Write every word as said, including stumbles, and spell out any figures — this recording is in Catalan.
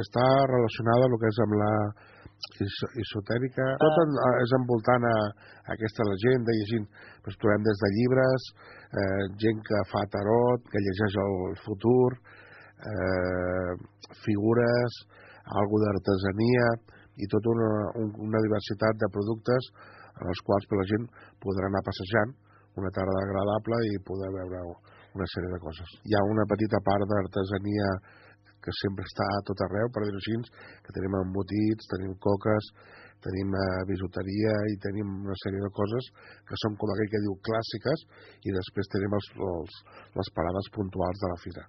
està relacionada amb el que és amb la esotèrica, tot en, és envoltant a, a aquesta legenda, llegint, doncs trobem des de llibres, eh, gent que fa tarot, que llegeix el futur, eh, figures, algo d'artesania i tota una, una diversitat de productes en els quals la gent podrà anar passejant una tarda agradable i poder veure una sèrie de coses. Hi ha una petita part d'artesania que sempre està a tot arreu, per dir-ho així, que tenim embotits, tenim coques, tenim eh, bisuteria i tenim una sèrie de coses que són, com aquell que diu, clàssiques, i després tenim els, els, les parades puntuals de la fira.